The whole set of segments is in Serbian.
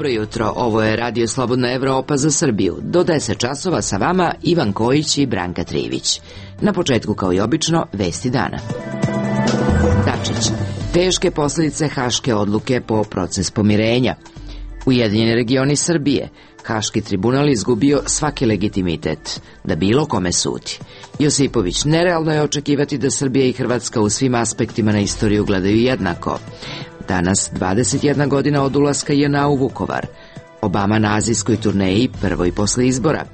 Dobro jutro, ovo je Radio Slobodna Evropa za Srbiju. Do 10 časova sa vama Ivan Kojić i Branka Trivić. Na početku, kao i obično, vesti dana. Dačić. Teške posljedice haške odluke po proces pomirenja. Ujedinjeni regioni Srbije. Haški tribunal izgubio svaki legitimitet da bilo kome sudi. Josipović. Nerealno je očekivati da Srbija i Hrvatska u svim aspektima na istoriju gledaju jednako. Danas 21 godina od ulaska JNA u Vukovar. Obama na azijskoj turneji, prvoj posle izbora.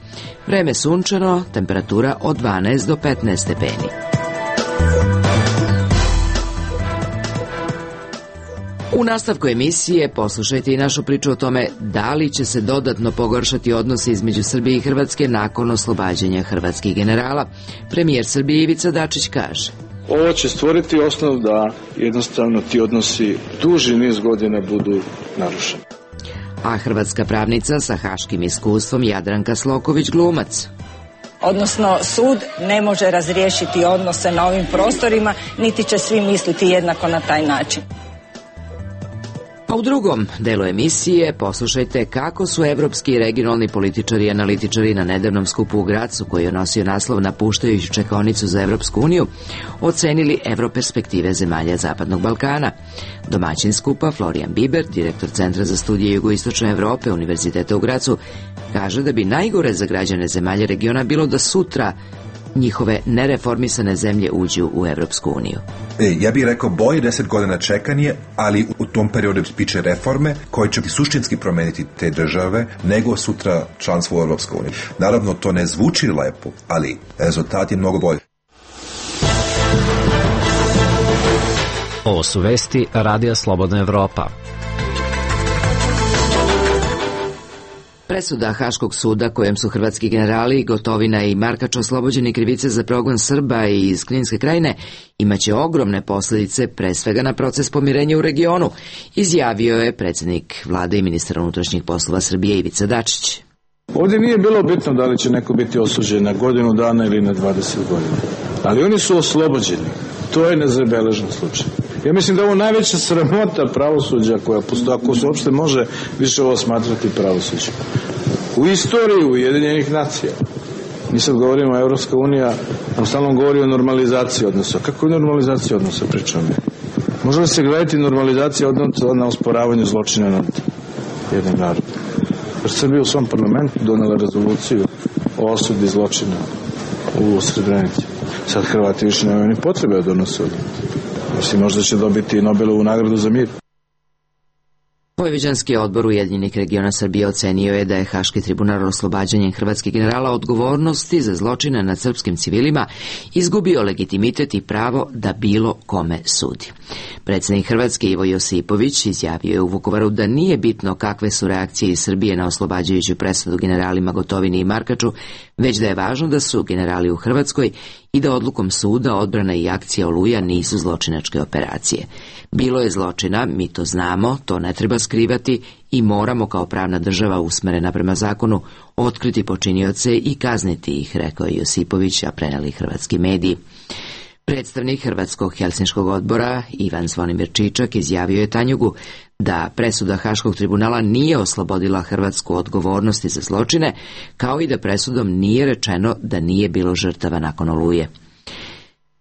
Vreme sunčano, temperatura od 12 do 15 stepeni. U nastavku emisije poslušajte i našu priču o tome da li će se dodatno pogoršati odnose između Srbije i Hrvatske nakon oslobađanja hrvatskih generala. Premijer Srbije Ivica Dačić kaže: ovo će stvoriti osnov da jednostavno ti odnosi duži niz godina budu narušeni. A hrvatska pravnica sa haškim iskustvom Jadranka Sloković glumac. Odnosno, sud ne može razriješiti odnose na ovim prostorima, niti će svi misliti jednako na taj način. A u drugom delu emisije poslušajte kako su evropski i regionalni političari i analitičari na nedavnom skupu u Gracu, koji je nosio naslov Napuštajući čekaonicu za Evropsku uniju, ocenili evroperspektive zemalja Zapadnog Balkana. Domaćin skupa Florijan Biber, direktor Centra za studije jugoistočne Evrope Univerziteta u Gracu, kaže da bi najgore za građane zemalja regiona bilo da sutra njihove nereformisane zemlje uđu u Evropsku uniju. Ja bih rekao bolje 10 godina čekanje, ali u tom periodu biće reforme koje će suštinski promeniti te države nego sutra članstvo u Evropskoj uniji. Naravno, to ne zvuči lepo, ali rezultat je mnogo bolji. Ovo su vesti Radija Slobodna Evropa. Presuda Haškog suda kojem su hrvatski generali Gotovina i Markač oslobođeni krivice za progon Srba iz Kninske krajine imaće ogromne posljedice pre svega na proces pomirenja u regionu, izjavio je predsjednik vlade i ministar unutrašnjih poslova Srbije Ivica Dačić. Ovdje nije bilo bitno da li će neko biti osuđen na godinu dana ili na 20 godina, ali oni su oslobođeni. To je nezabeležen slučaj. Ja mislim da je ovo najveća sramota pravosuđa koja postoji, ako se uopšte može više ovo smatrati pravosuđem. U istoriji Ujedinjenih nacija. Mi sad govorimo o Evropska unija, nam stalno govori o normalizaciji odnosa. Kako je normalizacija odnosa, pričamo? Može li se gledati normalizacija odnosa na osporavanju zločina nad jednim narodom? Jer Srbija u svom parlamentu donela rezoluciju o osudi zločina u Srebrenici. Sad Hrvati više nemaju ni potrebe da donose odluku. Mislim, možda će dobiti Nobelovu nagradu za mir. Vojvođanski odbor Ujedinjenih regiona Srbije ocenio je da je Haški tribunal oslobađanjem hrvatskih generala odgovornosti za zločine nad srpskim civilima izgubio legitimitet i pravo da bilo kome sudi. Predsjednik Hrvatske Ivo Josipović izjavio je u Vukovaru da nije bitno kakve su reakcije iz Srbije na oslobađajuću presudu generalima Gotovini i Markaču, već da je važno da su generali u Hrvatskoj i da odlukom suda odbrana i akcija Oluja nisu zločinačke operacije. Bilo je zločina, mi to znamo, to ne treba skrivati i moramo kao pravna država usmerena prema zakonu otkriti počinioce i kazniti ih, rekao je Josipović, a preneli hrvatski mediji. Predstavnik Hrvatskog helsinškog odbora Ivan Zvonimir Čičak izjavio je Tanjugu da presuda Haškog tribunala nije oslobodila Hrvatsku odgovornosti za zločine, kao i da presudom nije rečeno da nije bilo žrtava nakon Oluje.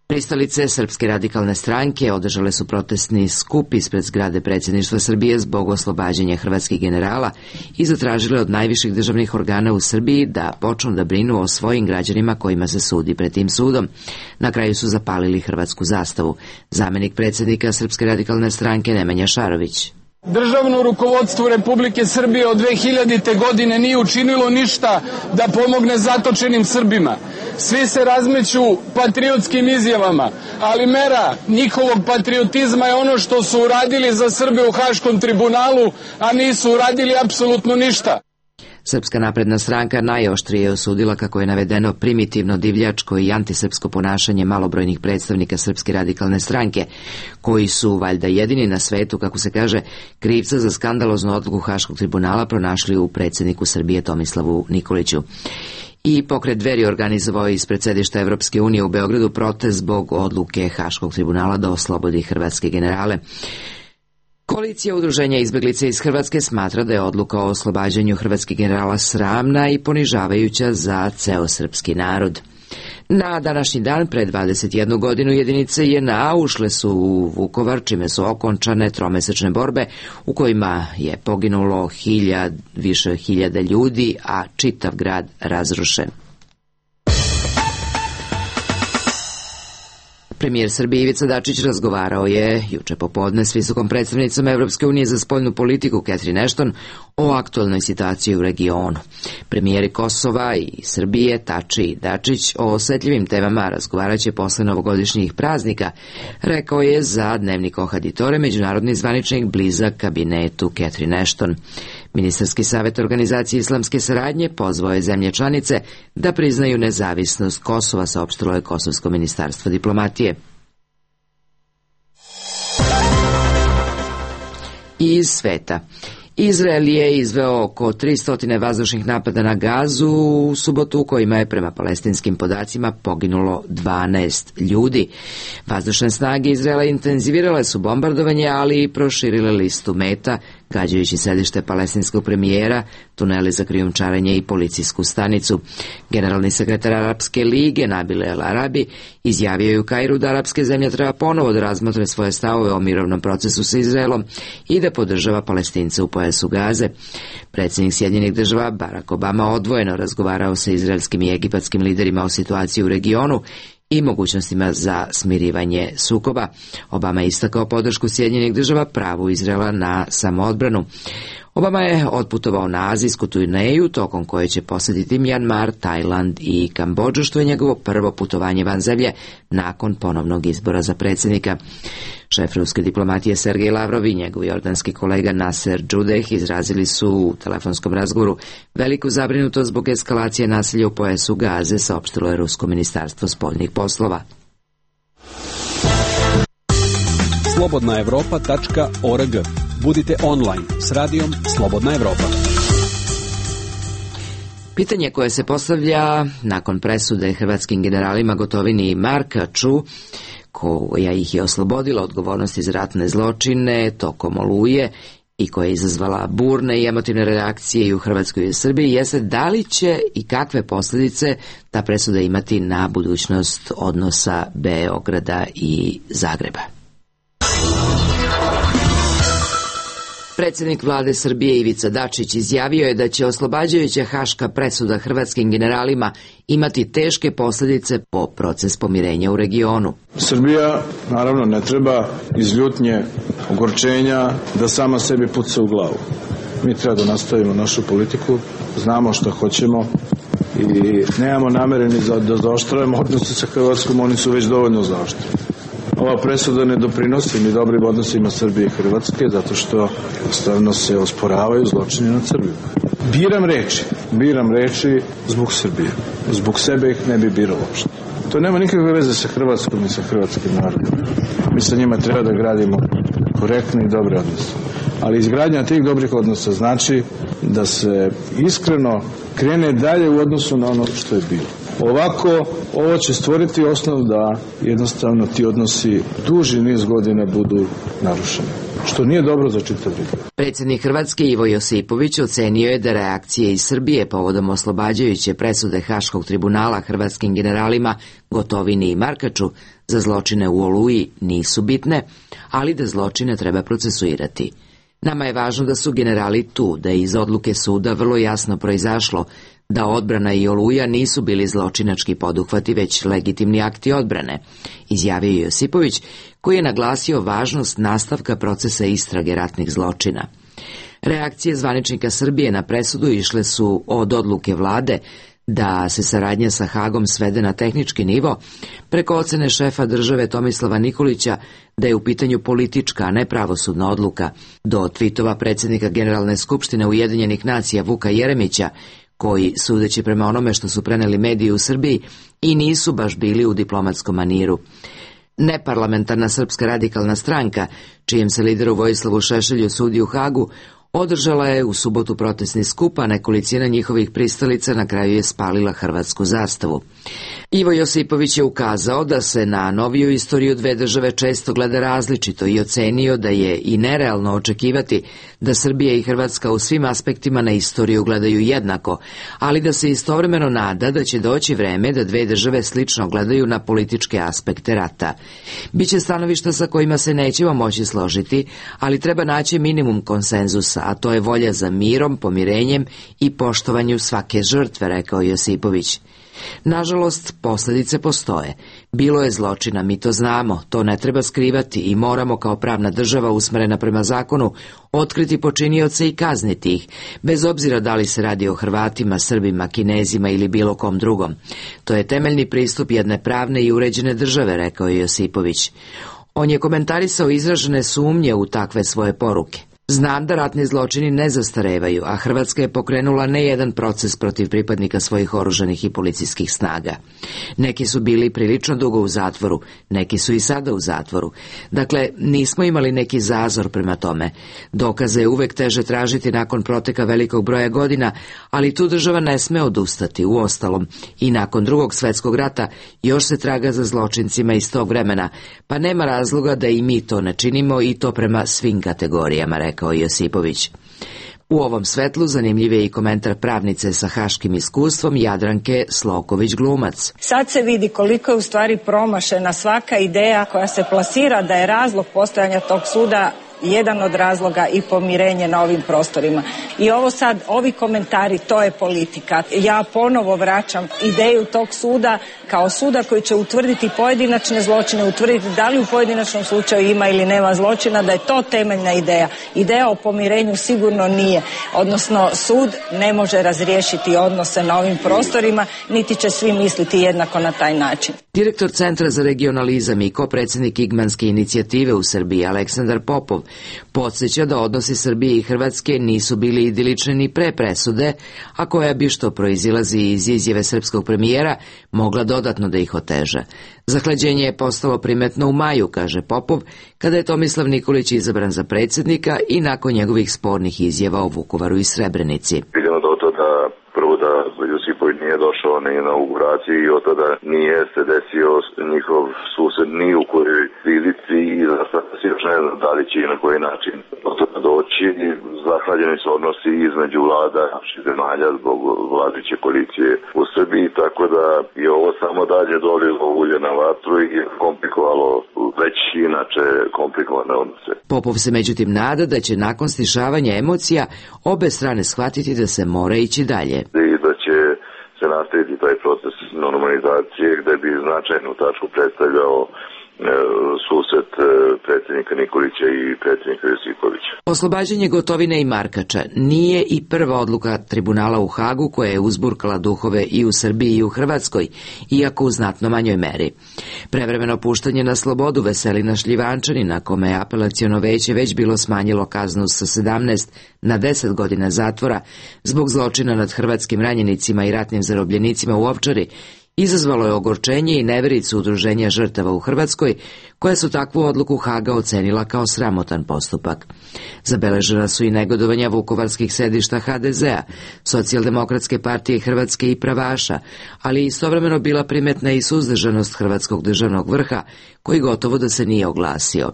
Pristalice Srpske radikalne stranke održale su protestni skup ispred zgrade predsjedništva Srbije zbog oslobađanja hrvatskih generala i zatražile od najviših državnih organa u Srbiji da počnu da brinu o svojim građanima kojima se sudi pred tim sudom. Na kraju su zapalili hrvatsku zastavu. Zamenik predsjednika Srpske radikalne stranke Nemanja Šarović. Državno rukovodstvo Republike Srbije od 2000. godine nije učinilo ništa da pomogne zatočenim Srbima. Svi se razmeću patriotskim izjavama, ali mera njihovog patriotizma je ono što su uradili za Srbe u Haškom tribunalu, a nisu uradili apsolutno ništa. Srpska napredna stranka najoštrije je osudila kako je navedeno primitivno, divljačko i antisrpsko ponašanje malobrojnih predstavnika Srpske radikalne stranke, koji su, valjda jedini na svetu, kako se kaže, krivca za skandaloznu odluku Haškog tribunala pronašli u predsjedniku Srbije Tomislavu Nikoliću. I pokret Dveri organizovao ispred sedišta Evropske unije u Beogradu protest zbog odluke Haškog tribunala da oslobodi hrvatske generale. Koalicija udruženja izbeglica iz Hrvatske smatra da je odluka o oslobađanju hrvatskih generala sramna i ponižavajuća za ceo srpski narod. Na današnji dan, pre 21 godinu, jedinice JNA ušle su u Vukovar, čime su okončane tromesečne borbe u kojima je poginulo više hiljada ljudi, a čitav grad razrušen. Premijer Srbije Ivica Dačić razgovarao je juče popodne s visokom predstavnicom Evropske unije za spoljnu politiku Catherine Ashton o aktualnoj situaciji u regionu. Premijeri Kosova i Srbije Tači i Dačić o osetljivim temama razgovaraće posle novogodišnjih praznika, rekao je za dnevnik Ohaditore međunarodni zvaničnik blizak kabinetu Catherine Ashton. Ministarski savjet Organizacije islamske saradnje pozvao je zemlje članice da priznaju nezavisnost Kosova, saopštilo je Kosovsko ministarstvo diplomatije. Iz sveta. Izrael je izveo oko 300 vazdušnih napada na Gazu u subotu, u kojima je prema palestinskim podacima poginulo 12 ljudi. Vazdušne snage Izraela intenzivirale su bombardovanje, ali i proširile listu meta, gađajući sedište palestinskog premijera, tuneli za krijumčarenje i policijsku stanicu. Generalni sekretar Arapske lige Nabil El Arabi izjavio je u Kairu da arapske zemlje treba ponovo da razmotre svoje stavove o mirovnom procesu sa Izraelom i da podržava Palestince u pojasu Gaze. Predsjednik Sjedinjenih Država Barack Obama odvojeno razgovarao sa izraelskim i egipatskim liderima o situaciji u regionu i mogućnostima za smirivanje sukoba. Obama je istakao podršku Sjedinjenih Država pravu Izraela na samoodbranu. Obama je otputovao na azijsku turneju, tokom koje će posjetiti Mjanmar, Tajland i Kambodžu, što je njegovo prvo putovanje van zemlje nakon ponovnog izbora za predsjednika. Šef ruske diplomatije Sergej Lavrov i njegov jordanski kolega Nasser Džudeh izrazili su u telefonskom razgovoru veliku zabrinutost zbog eskalacije nasilja u pojasu Gaze, saopštilo je Rusko ministarstvo spoljnih poslova. slobodnaevropa.org. Budite online s radijom Slobodna Evropa. Pitanje koje se postavlja nakon presude hrvatskim generalima Gotovini i Markaču, koja ih je oslobodila odgovornosti za ratne zločine tokom Oluje i koja je izazvala burne i emotivne reakcije i u Hrvatskoj i u Srbiji, jeste da li će i kakve posljedice ta presuda imati na budućnost odnosa Beograda i Zagreba. Predsjednik vlade Srbije Ivica Dačić izjavio je da će oslobađajuća haška presuda hrvatskim generalima imati teške posljedice po proces pomirenja u regionu. Srbija, naravno, ne treba iz ljutnje, ogorčenja da sama sebi puca u glavu. Mi treba da nastavimo našu politiku, znamo što hoćemo i nemamo namere ni da zaoštravamo odnose sa Hrvatskom, oni su već dovoljno zaoštreni. Ova presuda ne doprinosi ni dobrim odnosima Srbije i Hrvatske, zato što jednostavno se osporavaju zločini nad Srbijom. Biram reči zbog Srbije. Zbog sebe ih ne bi birao uopšte. To nema nikakve veze sa Hrvatskom i sa hrvatskim narodom. Mi sa njima treba da gradimo korektne i dobre odnose. Ali izgradnja tih dobrih odnosa znači da se iskreno krene dalje u odnosu na ono što je bilo. Ovako, ovo će stvoriti osnov da jednostavno ti odnosi duži niz godina budu narušeni, što nije dobro za čitav region. Predsjednik Hrvatske Ivo Josipović ocenio je da reakcije iz Srbije povodom oslobađajuće presude Haškog tribunala hrvatskim generalima Gotovini i Markaču za zločine u Oluji nisu bitne, ali da zločine treba procesuirati. Nama je važno da su generali tu, da je iz odluke suda vrlo jasno proizašlo da odbrana i Oluja nisu bili zločinački poduhvati, već legitimni akti odbrane, izjavio je Josipović, koji je naglasio važnost nastavka procesa istrage ratnih zločina. Reakcije zvaničnika Srbije na presudu išle su od odluke vlade da se saradnja sa Hagom svede na tehnički nivo, preko ocene šefa države Tomislava Nikolića da je u pitanju politička, a ne pravosudna odluka, do tvitova predsjednika Generalne skupštine Ujedinjenih nacija Vuka Jeremića, koji, sudeći prema onome što su preneli mediji u Srbiji, i nisu baš bili u diplomatskom maniru. Neparlamentarna Srpska radikalna stranka, čijem se lideru Vojislavu Šešelju sudi u Hagu, održala je u subotu protestni skup, a nekolicina njihovih pristalica na kraju je spalila hrvatsku zastavu. Ivo Josipović je ukazao da se na noviju istoriju dve države često gleda različito i ocenio da je i nerealno očekivati da Srbija i Hrvatska u svim aspektima na istoriju gledaju jednako, ali da se istovremeno nada da će doći vreme da dve države slično gledaju na političke aspekte rata. Biće stanovišta sa kojima se nećemo moći složiti, ali treba naći minimum konsenzusa, a to je volja za mirom, pomirenjem i poštovanju svake žrtve, rekao Josipović. Nažalost, posljedice postoje. Bilo je zločina, mi to znamo, to ne treba skrivati i moramo kao pravna država usmerena prema zakonu otkriti počinioce i kazniti ih, bez obzira da li se radi o Hrvatima, Srbima, Kinezima ili bilo kom drugom. To je temeljni pristup jedne pravne i uređene države, rekao je Josipović. On je komentarisao izražene sumnje u takve svoje poruke. Znam da ratni zločini ne zastarevaju, a Hrvatska je pokrenula ne jedan proces protiv pripadnika svojih oružanih i policijskih snaga. Neki su bili prilično dugo u zatvoru, neki su i sada u zatvoru. Dakle, nismo imali neki zazor prema tome. Dokaze je uvek teže tražiti nakon proteka velikog broja godina, ali tu država ne sme odustati. Uostalom, i nakon Drugog svjetskog rata još se traga za zločincima iz tog vremena, pa nema razloga da i mi to ne činimo i to prema svim kategorijama, rekao Josipović. U ovom svetlu zanimljiv je i komentar pravnice sa haškim iskustvom Jadranke Sloković-Glumac. Sad se vidi koliko je u stvari promašena svaka ideja koja se plasira da je razlog postojanja tog suda jedan od razloga i pomirenje na ovim prostorima. I ovo sad, ovi komentari, to je politika. Ja ponovo vraćam ideju tog suda kao suda koji će utvrditi pojedinačne zločine, utvrditi da li u pojedinačnom slučaju ima ili nema zločina, da je to temeljna ideja. Ideja o pomirenju sigurno nije. Odnosno, sud ne može razriješiti odnose na ovim prostorima, niti će svi misliti jednako na taj način. Direktor Centra za regionalizam i kopredsjednik Igmanske inicijative u Srbiji, Aleksandar Popov, podsjeća da odnosi Srbije i Hrvatske nisu bili idilični ni pre presude, a koja bi, što proizilazi iz izjave srpskog premijera, mogla dodatno da ih oteža. Zahlađenje je postalo primetno u maju, kaže Popov, kada je Tomislav Nikolić izabran za predsjednika i nakon njegovih spornih izjava o Vukovaru i Srebrenici. Vidimo do to da prvo da Josipović nije došao na inauguraciju i od tada nije se desio njihov sused ni u kojoj prilici i zastavlja se još ne znam da li će i na koji način do toga doći. Zahlađeni su odnosi između vlada naših zemalja zbog vladajuće koalicije u Srbiji, tako da je ovo samo dalje dolilo ulje na vatru i komplikovalo već inače komplikovane odnose. Popov se međutim nada da će nakon stišavanja emocija obe strane shvatiti da se mora ići dalje. I da će se nastaviti taj proces normalizacije gde bi značajnu tačku predstavljao susret predsjednika Nikolića i predsjednika Josipovića. Oslobađanje Gotovine i Markača nije i prva odluka tribunala u Hagu koja je uzburkala duhove i u Srbiji i u Hrvatskoj, iako u znatno manjoj meri. Prevremeno puštanje na slobodu Veselina Šljivančanina, kome je apelaciono veće već bilo smanjilo kaznu sa 17 na 10 godina zatvora zbog zločina nad hrvatskim ranjenicima i ratnim zarobljenicima u Ovčari, izazvalo je ogorčenje i nevericu udruženja žrtava u Hrvatskoj, koja su takvu odluku Haga ocenila kao sramotan postupak. Zabeležena su i negodovanja vukovarskih sedišta HDZ-a, Socijaldemokratske partije Hrvatske i Pravaša, ali istovremeno bila primetna i suzdržanost hrvatskog državnog vrha, koji gotovo da se nije oglasio.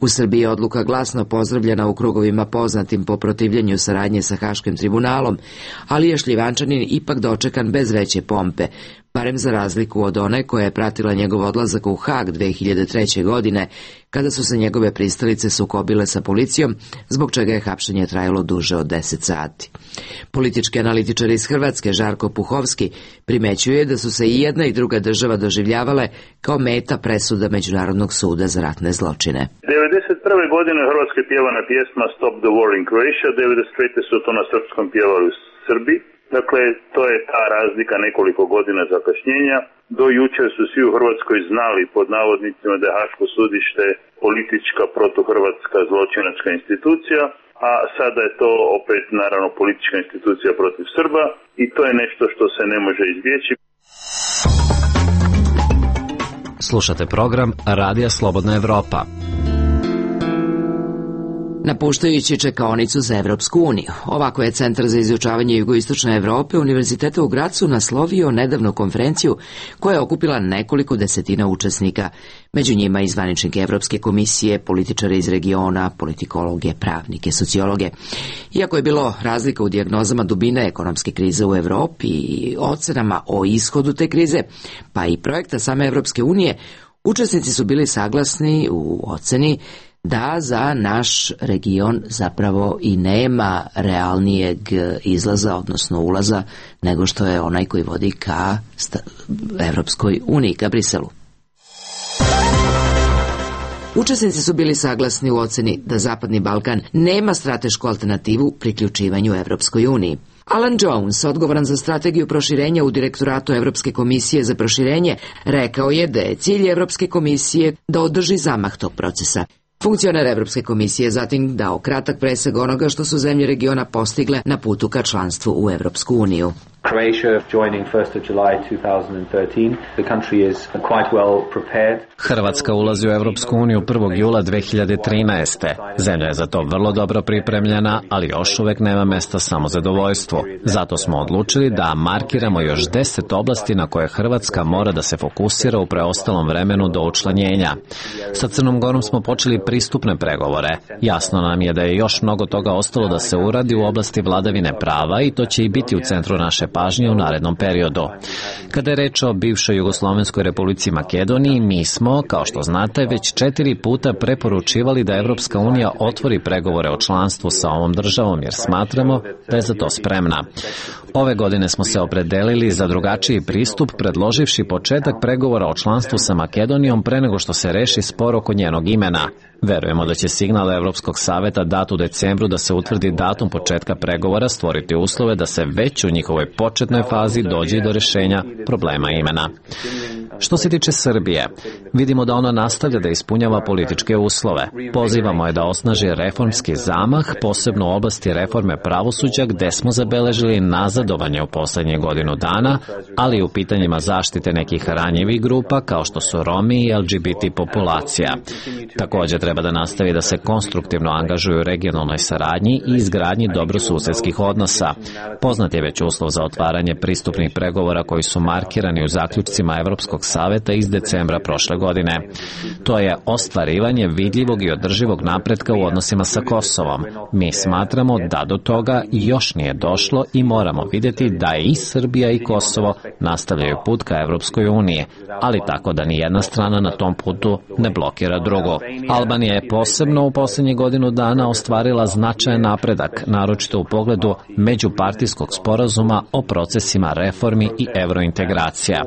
U Srbiji je odluka glasno pozdravljena u krugovima poznatim po protivljenju saradnje sa Haškim tribunalom, ali je Šljivančanin ipak dočekan bez veće pompe, barem za razliku od one koja je pratila njegov odlazak u Hag 2003. godine, kada su se njegove pristalice sukobile sa policijom, zbog čega je hapšenje trajalo duže od 10 sati. Politički analitičar iz Hrvatske, Žarko Puhovski, primećuje da su se i jedna i druga država doživljavale kao meta presuda Međunarodnog suda za ratne zločine. 1991. godine u Hrvatskoj pjevana pjesma Stop the War in Croatia, 1993. su to na srpskom pjevali u Srbiji. Dakle, to je ta razlika, nekoliko godina zakašnjenja. Do jučer su svi u Hrvatskoj znali, pod navodnicima, da je Haško sudište politička protuhrvatska zločinačka institucija, a sada je to opet, naravno, politička institucija protiv Srba i to je nešto što se ne može izbjeći. Slušate program Radija Slobodna Evropa. napuštajući čekaonicu za Evropsku uniju. Ovako je Centar za izučavanje jugoistočne Evrope Univerziteta u Gracu naslovio nedavnu konferenciju koja je okupila nekoliko desetina učesnika, među njima i zvaničnike Evropske komisije, političare iz regiona, politikologe, pravnike, sociologe. Iako je bilo razlika u dijagnozama dubine ekonomske krize u Evropi i ocenama o ishodu te krize, pa i projekta same Evropske unije, učesnici su bili saglasni u oceni da za naš region zapravo i nema realnijeg izlaza, odnosno ulaza, nego što je onaj koji vodi ka Evropskoj uniji, ka Briselu. Učesnici su bili saglasni u oceni da Zapadni Balkan nema stratešku alternativu priključivanju Evropskoj uniji. Alan Jones, odgovoran za strategiju proširenja u Direktoratu Evropske komisije za proširenje, rekao je da je cilj Evropske komisije da održi zamah tog procesa. Funkcioner Evropske komisije je zatim dao kratak presek onoga što su zemlje regiona postigle na putu ka članstvu u Evropsku uniju. Hrvatska ulazi u Evropsku uniju 1. jula 2013. Zemlja je za to vrlo dobro pripremljena, ali još uvek nema mesta samozadovoljstvu. Zato smo odlučili da markiramo još 10 oblasti na koje Hrvatska mora da se fokusira u preostalom vremenu do učlanjenja. Sa Crnom Gorom smo počeli pristupne pregovore. Jasno nam je da je još mnogo toga ostalo da se uradi u oblasti vladavine prava i to će i biti u centru naše pažnje u narednom periodu. Kada je reč o bivšoj Jugoslovenskoj republici Makedoniji, mi smo, kao što znate, već 4 puta preporučivali da Evropska unija otvori pregovore o članstvu sa ovom državom, jer smatramo da je za to spremna. Ove godine smo se opredelili za drugačiji pristup, predloživši početak pregovora o članstvu sa Makedonijom pre nego što se reši spor oko njenog imena. Verujemo da će signal Evropskog saveta dat u decembru da se utvrdi datum početka pregovora stvoriti uslove da se već u njihovoj početnoj fazi dođe do rešenja problema imena. Što se tiče Srbije, vidimo da ona nastavlja da ispunjava političke uslove. Pozivamo je da osnaži reformski zamah, posebno u oblasti reforme pravosuđa, gde smo zabeležili nazadovanje u poslednje godinu dana, ali i u pitanjima zaštite nekih ranjivih grupa, kao što su Romi i LGBT populacija. Također treba da nastavi da se konstruktivno angažuju u regionalnoj saradnji i izgradnji dobrosusedskih odnosa. Poznat je već uslov za otvaranje pristupnih pregovora koji su markirani u zaključcima Evropskog saveta iz decembra prošle godine. To je ostvarivanje vidljivog i održivog napretka u odnosima sa Kosovom. Mi smatramo da do toga još nije došlo i moramo vidjeti da i Srbija i Kosovo nastavljaju put ka Evropskoj uniji, ali tako da ni jedna strana na tom putu ne blokira drugu. Albanija je posebno u posljednjih godinu dana ostvarila značajan napredak, naročito u pogledu međupartijskog sporazuma o procesima reformi i evrointegracija.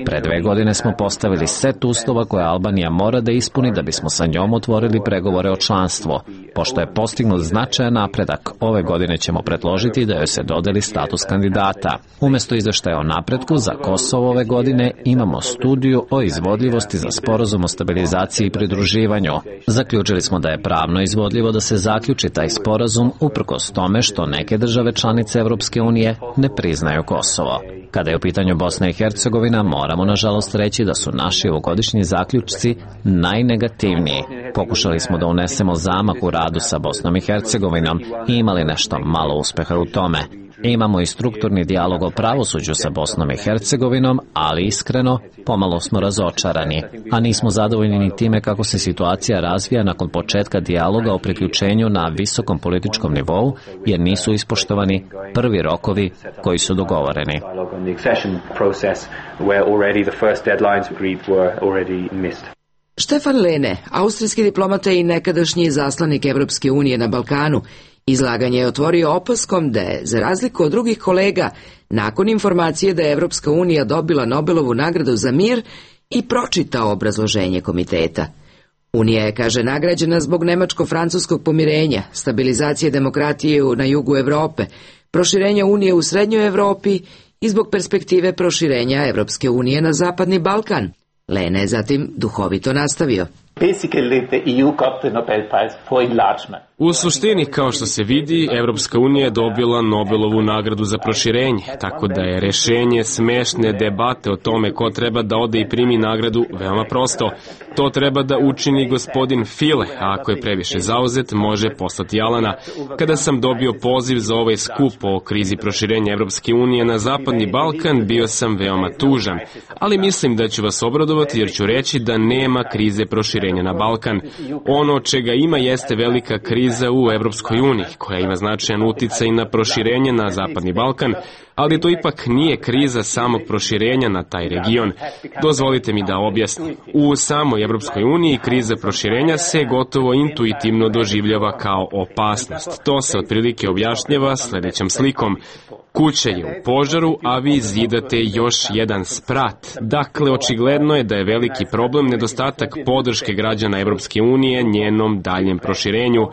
Pre 2 godine smo postavili set uslova koje Albanija mora da ispuni da bismo sa njom otvorili pregovore o članstvu. Pošto je postignut značajan napredak, ove godine ćemo predložiti da joj se dodeli status kandidata. Umesto izveštaja o napretku za Kosovo ove godine imamo studiju o izvodljivosti za sporazum o stabilizaciji i pridruživanju. Zaključili smo da je pravno izvodljivo da se zaključi taj sporazum uprkos tome što neke države članice Evropske unije ne priznaju Kosovo. Kada je u pitanju Bosna i Hercegovina, moramo nažalost reći da su naši ovogodišnji zaključci najnegativniji. Pokušali smo da unesemo zamah u radu sa Bosnom i Hercegovinom i imali nešto malo uspeha u tome. Imamo i strukturni dijalog o pravosuđu sa Bosnom i Hercegovinom, ali iskreno, pomalo smo razočarani, a nismo zadovoljni ni time kako se situacija razvija nakon početka dijaloga o priključenju na visokom političkom nivou, jer nisu ispoštovani prvi rokovi koji su dogovoreni. Štefan Lene, austrijski diplomata i nekadašnji izaslanik Evropske unije na Balkanu, izlaganje je otvorio opaskom da je, za razliku od drugih kolega, nakon informacije da je Evropska unija dobila Nobelovu nagradu za mir, i pročitao obrazloženje komiteta. Unija je, kaže, nagrađena zbog nemačko-francuskog pomirenja, stabilizacije demokratije na jugu Evrope, proširenja Unije u Srednjoj Evropi i zbog perspektive proširenja Evropske unije na Zapadni Balkan. Lene je zatim duhovito nastavio. U suštini, kao što se vidi, Evropska unija je dobila Nobelovu nagradu za proširenje, tako da je rešenje smešne debate o tome ko treba da ode i primi nagradu veoma prosto. To treba da učini gospodin File, a ako je previše zauzet, može poslati Alana. Kada sam dobio poziv za ovaj skup o krizi proširenja Evropske unije na Zapadni Balkan, bio sam veoma tužan, ali mislim da ću vas obradovati jer ću reći da nema krize proširenja na Balkan. Ono čega ima jeste velika kriza u Evropskoj uniji, koja ima značajan uticaj na proširenje na Zapadni Balkan, ali to ipak nije kriza samog proširenja na taj region. Dozvolite mi da objasnim. U samoj Evropskoj uniji kriza proširenja se gotovo intuitivno doživljava kao opasnost. To se otprilike objašnjava sledećom slikom. Kuća je u požaru, a vi zidate još jedan sprat. Dakle, očigledno je da je veliki problem nedostatak podrške građana Evropske unije njenom daljem proširenju.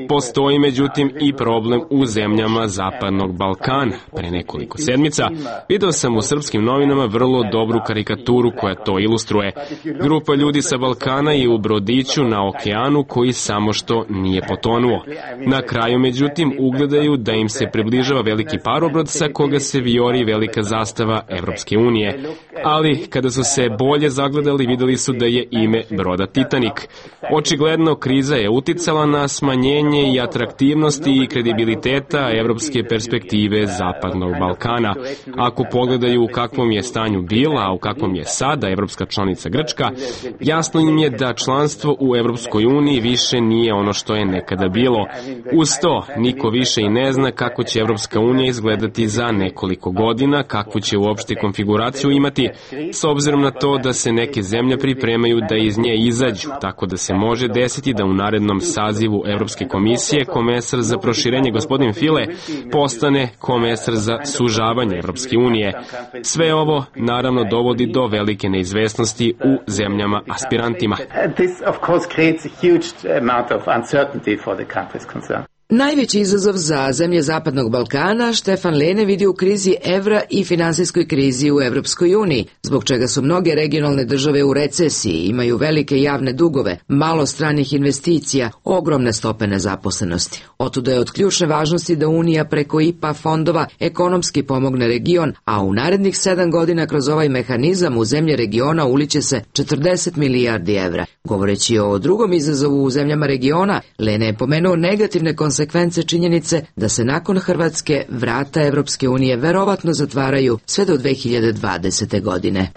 Postoji, međutim, i problem u zemljama Zapadnog Balkana. Pre nekoliko sedmica video sam u srpskim novinama vrlo dobru karikaturu koja to ilustruje. Grupa ljudi sa Balkana je u brodiću na okeanu koji samo što nije potonuo. Na kraju, međutim, ugledaju da im se približava veliki parobrod sa koga se vijori velika zastava Evropske unije. Ali, kada su se bolje zagledali, videli su da je ime broda Titanik. Očigledno, kriza je uticala na smanjenje i atraktivnosti i kredibiliteta evropske perspektive Zapadnog Balkana. Ako pogledaju u kakvom je stanju bila, a u kakvom je sada evropska članica Grčka, jasno im je da članstvo u Evropskoj uniji više nije ono što je nekada bilo. Uz to, niko više i ne zna kako će Evropska unija izgledati za nekoliko godina, kakvu će uopšte konfiguraciju imati, s obzirom na to da se neke zemlje pripremaju da iz nje izađu, tako da se može desiti da u narednom sazivu Evropske komisije komesar za proširenje gospodin File postane komesar za sužavanje Evropske unije. Sve ovo naravno dovodi do velike neizvesnosti u zemljama aspirantima. Najveći izazov za zemlje Zapadnog Balkana Štefan Lene vidi u krizi evra i finansijskoj krizi u Evropskoj uniji, zbog čega su mnoge regionalne države u recesiji, imaju velike javne dugove, malo stranih investicija, ogromne stope nezaposlenosti. Otuda je od ključne važnosti da Unija preko IPA fondova ekonomski pomogne region, a u narednih 7 godina kroz ovaj mehanizam u zemlje regiona uliće se 40 milijardi evra. Govoreći o drugom izazovu u zemljama regiona, Lene je pomenuo negativne konsekvence činjenice da se nakon Hrvatske vrata Evropske unije verovatno zatvaraju sve do 2020. godine.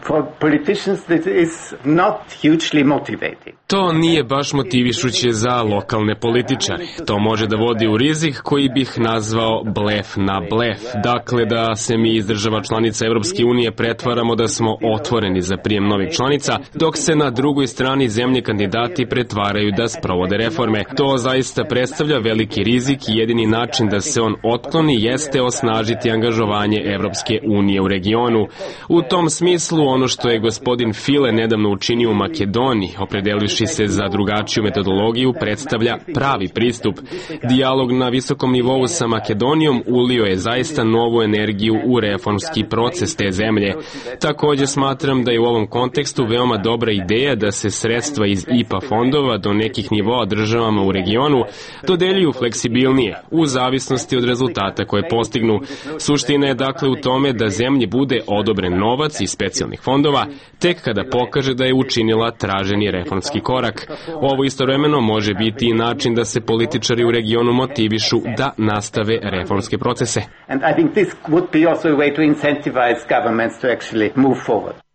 To nije baš motivišuće za lokalne političare. To može da vodi u rizik koji bih nazvao blef na blef. Dakle, da se mi iz država članica Evropske unije pretvaramo da smo otvoreni za prijem novih članica, dok se na drugoj strani zemlje kandidati pretvaraju da sprovode reforme. To zaista predstavlja veliki rizik i jedini način da se on otkloni jeste osnažiti angažovanje Evropske unije u regionu. U tom smislu, ono što je gospodin File nedavno učinio u Makedoniji, opredelivši se za drugačiju metodologiju, predstavlja pravi pristup. Dijalog na visokom nivou sa Makedonijom ulio je zaista novu energiju u reformski proces te zemlje. Također smatram da je u ovom kontekstu veoma dobra ideja da se sredstva iz IPA fondova do nekih nivoa državama u regionu dodeljuju fleksibilnije, u zavisnosti od rezultata koje postignu. Suština je dakle u tome da zemlji bude odobren novac iz specijalnih fondova, tek kada pokaže da je učinila traženi reformski korak. Ovo istovremeno može biti i način da se političari u regionu motivišu da nastave reformske procese.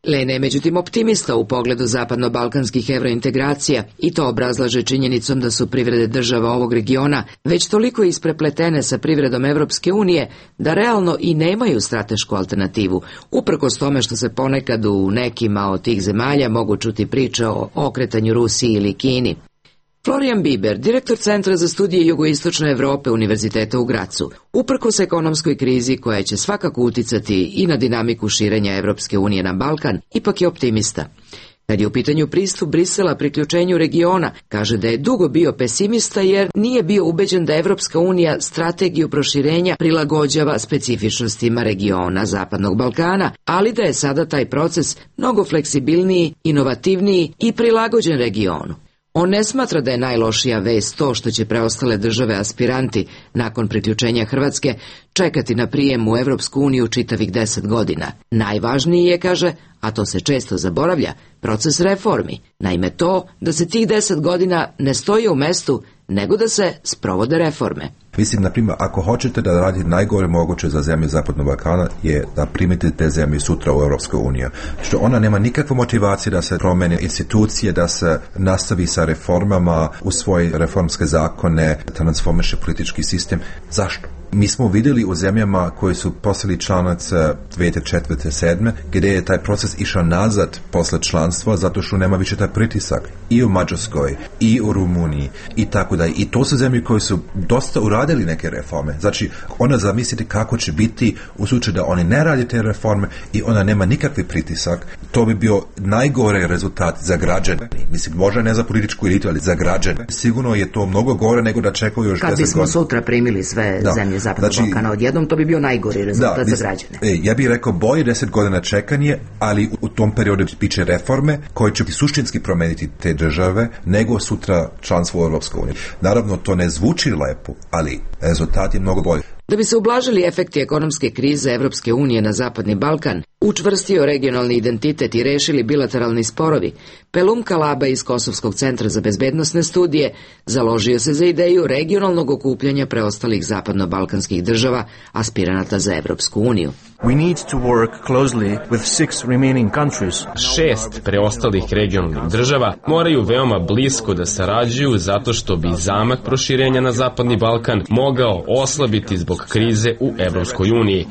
Lene je međutim optimista u pogledu zapadno-balkanskih evrointegracija i to obrazlaže činjenicom da su privrede država ovog regiona već toliko isprepletene sa privredom Evropske unije da realno i nemaju stratešku alternativu, uprkos tome što se ponekad u nekima od tih zemalja mogu čuti priče o okretanju Rusiji ili Kini. Florian Biber, direktor Centra za studije jugoistočne Evrope Univerziteta u Gracu, uprkos ekonomskoj krizi koja će svakako uticati i na dinamiku širenja Evropske unije na Balkan, ipak je optimista. Kad je u pitanju pristup Brisela priključenju regiona, kaže da je dugo bio pesimista jer nije bio ubeđen da Evropska unija strategiju proširenja prilagođava specifičnostima regiona Zapadnog Balkana, ali da je sada taj proces mnogo fleksibilniji, inovativniji i prilagođen regionu. On ne smatra da je najlošija vest to što će preostale države aspiranti nakon priključenja Hrvatske čekati na prijem u Evropsku uniju čitavih 10 godina. Najvažniji je, kaže, a to se često zaboravlja, proces reformi. Naime to da se tih 10 godina ne stoji u mestu, nego da se sprovode reforme. Mislim, na primjer, ako hoćete da radite najgore moguće za zemlje Zapadnog Balkana je da primite te zemlje sutra u Europskoj uniji. Što ona nema nikakvu motivaciju da se promene institucije, da se nastavi sa reformama, u svoje reformske zakone, transformiše politički sistem. Zašto? Mi smo vidjeli u zemljama koji su postali članice 2004. 2007. gdje je taj proces išao nazad posle članstva zato što nema više taj pritisak i u Mađarskoj i u Rumuniji i tako da. I to su zemlje koje su dosta uradili neke reforme. Znači, ona zamislite kako će biti u slučaju da oni ne radi te reforme i ona nema nikakvi pritisak. To bi bio najgore rezultat za građane. Mislim, možda ne za političku elitu, ali za građane. Sigurno je to mnogo gore nego da čekaju još 10 godina. Kad bismo sutra primili sve zemlje Zapadnog Balkana odjednom, to bi bio najgori rezultat za građane. Ja bih rekao bolje 10 godina čekanje, ali u tom periodu biće reforme koje će suštinski promeniti te države nego sutra članstvo u Europskoj uniji. Naravno, to ne zvuči lepo, ali rezultat je mnogo bolji. Da bi se ublažili efekti ekonomske krize Evropske unije na Zapadni Balkan, učvrstio regionalni identitet i rešili bilateralni sporovi, Pelum Kalaba iz Kosovskog centra za bezbednosne studije založio se za ideju regionalnog okupljanja preostalih zapadno-balkanskih država aspiranata za Evropsku uniju. We need to work closely with 6 remaining countries. 6 preostalih regionalnih država moraju veoma blisko da sarađuju zato što bi zamak proširenja na Zapadni Balkan mogao oslabiti zbog krize u Evropskoj uniji.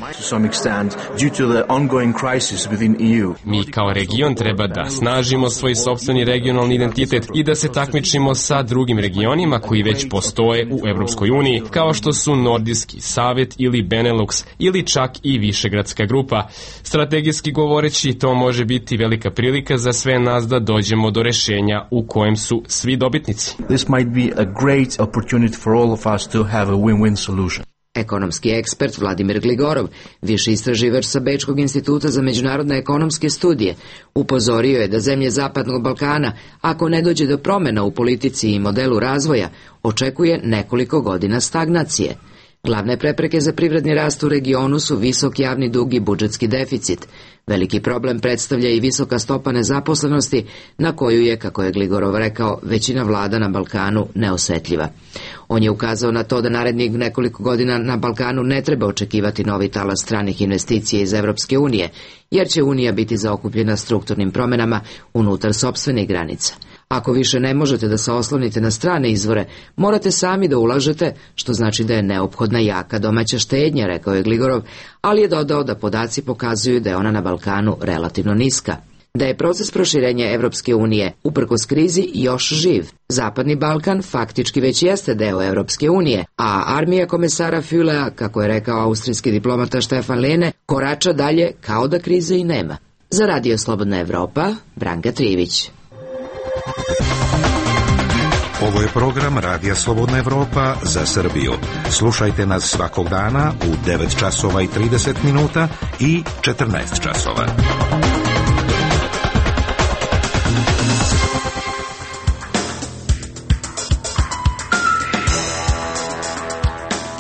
Mi kao region treba da snažimo svoj sopstveni regionalni identitet i da se takmičimo sa drugim regionima koji već postoje u Evropskoj uniji, kao što su Nordijski savet ili Benelux ili čak i Višegradska grupa. Strategijski govoreći, to može biti velika prilika za sve nas da dođemo do rešenja u kojem su svi dobitnici. This might be a great opportunity for all of us to have a win-win solution. Ekonomski ekspert Vladimir Gligorov, viši istraživač sa Bečkog instituta za međunarodne ekonomske studije, upozorio je da zemlje Zapadnog Balkana, ako ne dođe do promena u politici i modelu razvoja, očekuje nekoliko godina stagnacije. Glavne prepreke za privredni rast u regionu su visok javni dug i budžetski deficit. Veliki problem predstavlja i visoka stopa nezaposlenosti, na koju je, kako je Gligorov rekao, većina vlada na Balkanu neosetljiva. On je ukazao na to da narednih nekoliko godina na Balkanu ne treba očekivati novi talas stranih investicija iz Evropske unije, jer će Unija biti zaokupljena strukturnim promenama unutar sopstvenih granica. Ako više ne možete da se oslonite na strane izvore, morate sami da ulažete, što znači da je neophodna jaka domaća štednja, rekao je Gligorov, ali je dodao da podaci pokazuju da je ona na Balkanu relativno niska. Da je proces proširenja Evropske unije uprkos krizi još živ. Zapadni Balkan faktički već jeste deo Evropske unije, a armija komesara Fülea, kako je rekao austrijski diplomata Stefan Lehne, korača dalje kao da krize i nema. Za Radio Slobodna Evropa, Branka Trijević. Ovo je program Radija Slobodna Evropa za Srbiju. Slušajte nas svakog dana u 9 časova i 30 minuta i 14 časova.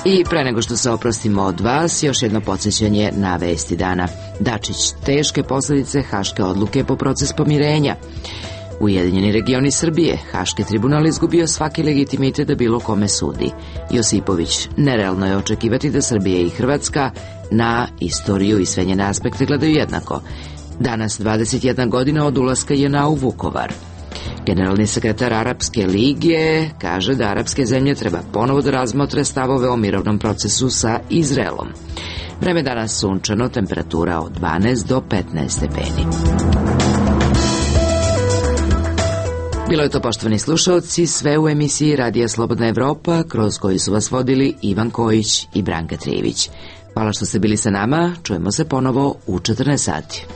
I pre nego što se oprostimo od vas, još jedno podsjećanje na vesti dana. Dačić, teške posljedice Haške odluke po proces pomirenja. Ujedinjeni regioni Srbije, Haški tribunal izgubio svaki legitimitet da bilo kome sudi. Josipović, nerealno je očekivati da Srbija i Hrvatska na istoriju i sve njene aspekte gledaju jednako. Danas 21 godina od ulaska JNA u Vukovar. Generalni sekretar Arapske lige kaže da arapske zemlje treba ponovo da razmotre stavove o mirovnom procesu sa Izraelom. Vreme danas sunčano, temperatura od 12 do 15 stepeni. Bilo je to, poštovani slušalci, sve u emisiji Radija Slobodna Evropa, kroz koju su vas vodili Ivan Kojić i Branka Trijević. Hvala što ste bili sa nama, čujemo se ponovo u 14 sati.